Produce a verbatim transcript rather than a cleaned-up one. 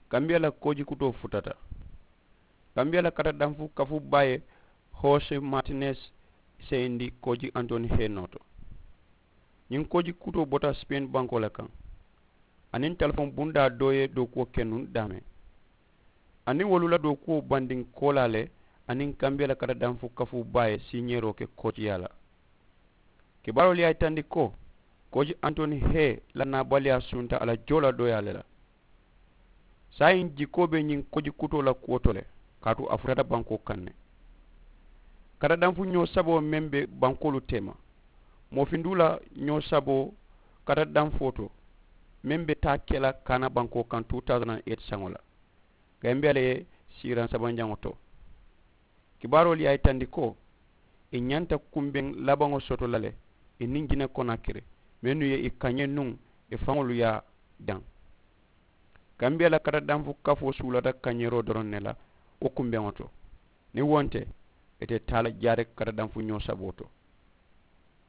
Kambiya la kooji kutoo futata. Kambiya la katadanfu kafu baa ye hoose maatines seyindi kooji antoni hee noo to. Ñiŋ kooji kutoo bota sipeeni bankoo le kaŋ. Aniŋ telefoŋ bundaa doo ye dookuwo ke nuŋ daameŋ. Aniŋ wolu la dookuwo bandinkoolaa le aniŋ kambiya la katadanfu kafu baa ye siiñeeroo ke koojiyaa la. Kibaaroolu ye a yitandi ko kooji antoni hee la naabaliyaa sunta a la joo la dooyaa le la. Saayiŋ jikoo be ñiŋ kooji kutoo la kuwo to le kaatu a futata bankoo kaŋ ne. Katadanfu ñoo saboo meŋ be bankoolu teema, moofinduu la ñoo saboo katadanfoo to meŋ be taa ke la kaana bankoo kaŋ two thousand and eight saŋo la. Gambiya le ye siiraŋ sabanjaŋo to. Kibaaroolu ye a yitandi ko ì ñanta kumbeŋ labaŋo soto la le ì niŋ jine konakiri mennu ye ì kañee nuŋ ì faŋolu ye a daŋ. Kambiya la katadanfu kafoo suulata kañeeroo doroŋ ne la wo kumbeŋo to. Niŋ wo nte ì te taa la jaari katadanfu ñoo saboo to.